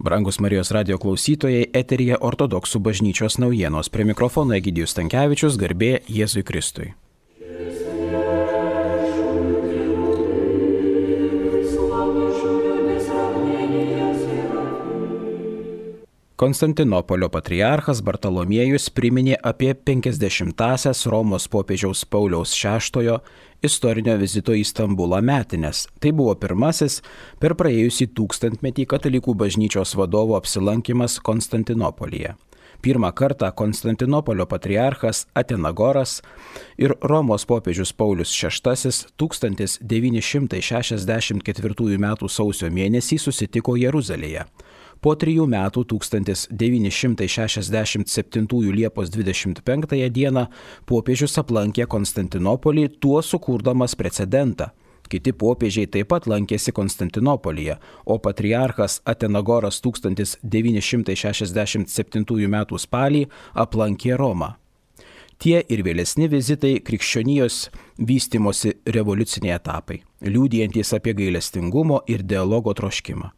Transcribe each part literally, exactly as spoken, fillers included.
Brangus Marijos radijo klausytojai, eteryje Ortodoksų bažnyčios naujienos. Prie mikrofono Egidijus Stankevičius, garbė Jėzui Kristui. Konstantinopolio patriarchas Bartolomiejus priminė apie penkiasdešimtąsias Romos popiežiaus Pauliaus šeštojo istorinio vizito į Stambulą metines. Tai buvo pirmasis per praėjusį tūkstantmetį katalikų bažnyčios vadovo apsilankimas Konstantinopolyje. Pirmą kartą Konstantinopolio patriarchas Atenagoras ir Romos popiežius Paulius šeštasis tūkstantis devyni šimtai šešiasdešimt ketvirtųjų metų sausio mėnesį susitiko Jeruzalėje. Po trijų metų tūkstantis devyni šimtai šešiasdešimt septintųjų Liepos dvidešimt penktąją dieną popiežius aplankė Konstantinopolį, tuo sukurdamas precedentą. Kiti popiežiai taip pat lankėsi Konstantinopolyje, o patriarchas Atenagoras tūkstantis devyni šimtai šešiasdešimt septintųjų metų spalį aplankė Romą. Tie ir vėlesni vizitai krikščionijos vystimosi revoliuciniai etapai, liudijantys apie gailestingumo ir dialogo troškimą.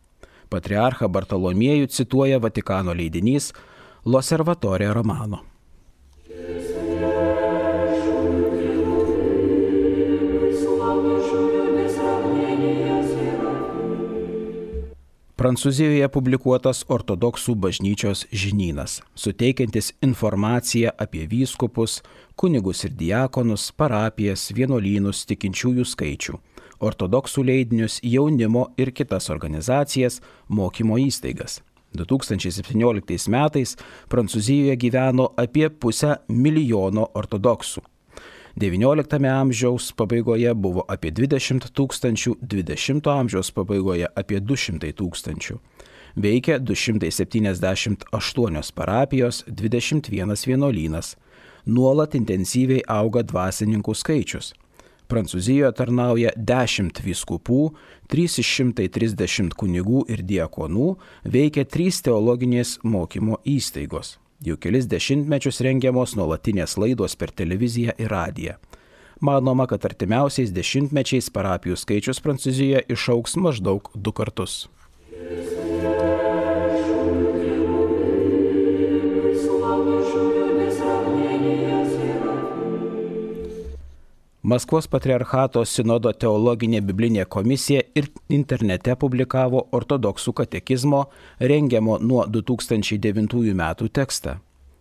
Patriarchą Bartolomiejų cituoja Vatikano leidinys L'Osservatore Romano. Prancūzijoje publikuotas ortodoksų bažnyčios žinynas, suteikiantis informaciją apie vyskupus, kunigus ir diakonus, parapijas, vienuolynus, tikinčiųjų skaičių, ortodoksų leidinius, jaunimo ir kitas organizacijas, mokymo įstaigas. du tūkstančiai septynioliktais metais Prancūzijoje gyveno apie pusę milijono ortodoksų. devynioliktame amžiaus pabaigoje buvo apie dvidešimt tūkstančių, dvidešimto amžiaus pabaigoje apie du šimtai tūkstančių. Veikia du šimtai septyniasdešimt aštuonios parapijos, dvidešimt vienas vienuolynas. Nuolat intensyviai auga dvasininkų skaičius. Prancūzijoje tarnauja dešimt vyskupų, trys šimtai trisdešimt kunigų ir diakonų, veikia trys teologinės mokymo įstaigos. Jau kelis dešimtmečius rengiamos nuolatinės laidos per televiziją ir radiją. Manoma, kad artimiausiais dešimtmečiais parapijų skaičius Prancūzijoje išaugs maždaug du kartus. Maskvos patriarchato sinodo teologinė biblinė komisija ir internete publikavo ortodoksų katekizmo rengiamo nuo du tūkstančiai devintųjų metų tekstą.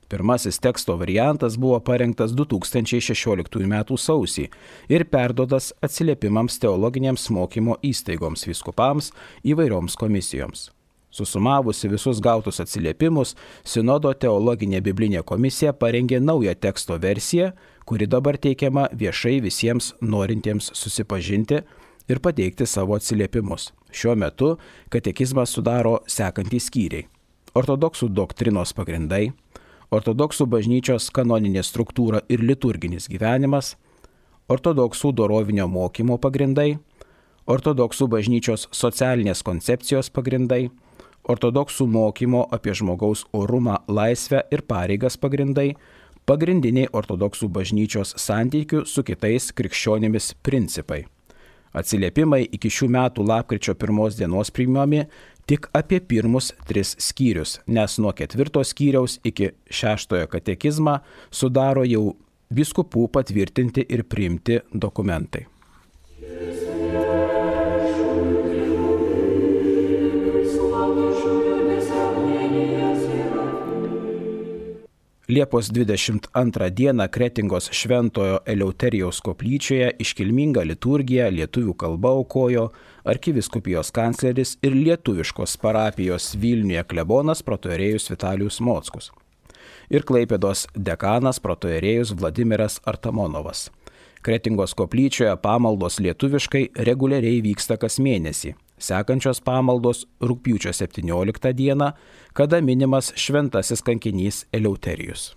Pirmasis teksto variantas buvo parengtas du tūkstančiai šešioliktųjų metų sausį ir perduotas atsiliepimams teologinėms mokymo įstaigoms, vyskupams, įvairioms komisijoms. Susumavusi visus gautus atsiliepimus, sinodo teologinė biblinė komisija parengė naują teksto versiją, kuri dabar teikiama viešai visiems norintiems susipažinti ir pateikti savo atsiliepimus. Šiuo metu katekizmą sudaro sekantys skyriai: ortodoksų doktrinos pagrindai, ortodoksų bažnyčios kanoninė struktūra ir liturginis gyvenimas, ortodoksų dorovinio mokymo pagrindai, ortodoksų bažnyčios socialinės koncepcijos pagrindai, ortodoksų mokymo apie žmogaus orumą, laisvę ir pareigas pagrindai, pagrindiniai ortodoksų bažnyčios santykių su kitais krikščionimis principai. Atsiliepimai iki šių metų lapkričio pirmos dienos priimami tik apie pirmus tris skyrius, nes nuo ketvirto skyriaus iki šeštojo katekizmą sudaro jau vyskupų patvirtinti ir priimti dokumentai. Liepos dvidešimt antrą dieną Kretingos Šventojo Eleuterijaus koplyčioje iškilmingą liturgiją lietuvių kalba aukojo arkivyskupijos kancleris ir lietuviškos parapijos Vilniuje klebonas protoierėjus Vitalijus Mockus ir Klaipėdos dekanas protoierėjus Vladimiras Artamonovas. Kretingos koplyčioje pamaldos lietuviškai reguliariai vyksta kas mėnesį. Sekančios pamaldos rugpjūčio septynioliktą dieną, kada minimas šventasis kankinys Eleuterijus.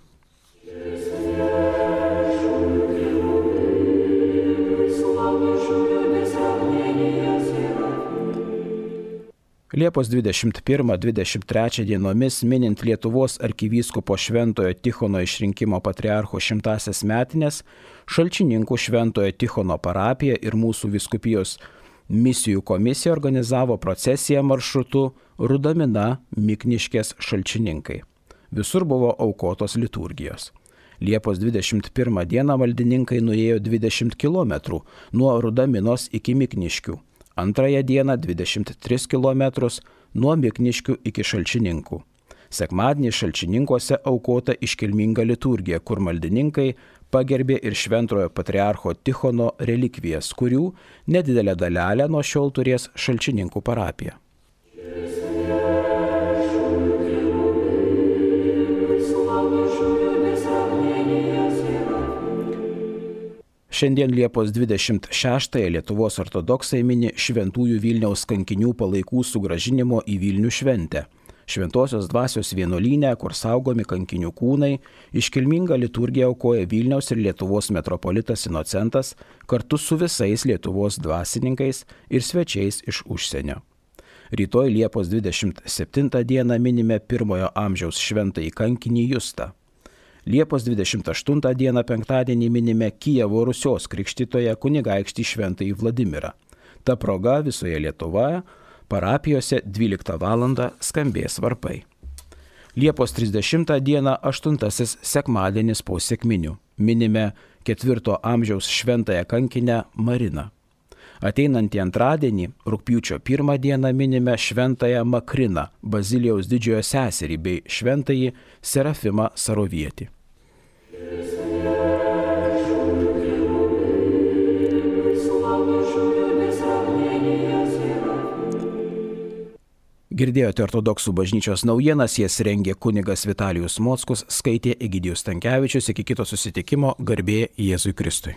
Liepos dvidešimt pirmą dvidešimt trečią dienomis, minint Lietuvos arkivyskupo Šventojo Tichono išrinkimo patriarcho šimtąsias metines, Šalčininkų Šventojo Tichono parapija ir mūsų vyskupijos Misijų komisija organizavo procesiją maršrutu Rudamina Mikniškės Šalčininkai. Visur buvo aukotos liturgijos. Liepos dvidešimt pirmą dieną maldininkai nuėjo dvidešimt kilometrų nuo Rudaminos iki Mikniškių. Antrąją dieną dvidešimt tris kilometrus nuo Mikniškių iki Šalčininkų. Sekmadienį Šalčininkuose aukota iškilminga liturgija, kur maldininkai pagerbė ir šventojo patriarcho Tichono relikvijas, kurių nedidelę dalelę nuo šiol turės Šalčininkų parapija. Šiandien Liepos dvidešimt šeštąją Lietuvos ortodoksai mini Šventųjų Vilniaus kankinių palaikų sugrąžinimo į Vilnių šventę. Šventosios dvasios vienuolyne, kur saugomi kankinių kūnai, iškilmingą liturgiją aukoja Vilniaus ir Lietuvos metropolitas Inocentas kartu su visais Lietuvos dvasininkais ir svečiais iš užsienio. Rytoj Liepos dvidešimt septintą dieną minime pirmojo amžiaus šventąjį kankinį Justą. Liepos dvidešimt aštuntą dieną penktadienį minime Kijevo Rusios krikštytoją kunigaikštį šventąjį Vladimirą. Ta proga visoje Lietuvoje parapijose dvyliktą valandą skambės varpai. Liepos trisdešimtą dieną aštuntasis sekmadienis po sekminių. Minime ketvirto amžiaus šventąją kankinę Mariną. Ateinantį antradienį, rugpjūčio pirmą dieną minime šventąją Makriną, Bazilijaus didžiojo seserį bei šventąjį Serafimą Sarovietį. Girdėjote ortodoksų bažnyčios naujienas, jas rengė kunigas Vitalijus Mockus, skaitė Egidijus Stankevičius. Iki kito susitikimo, garbė Jėzui Kristui.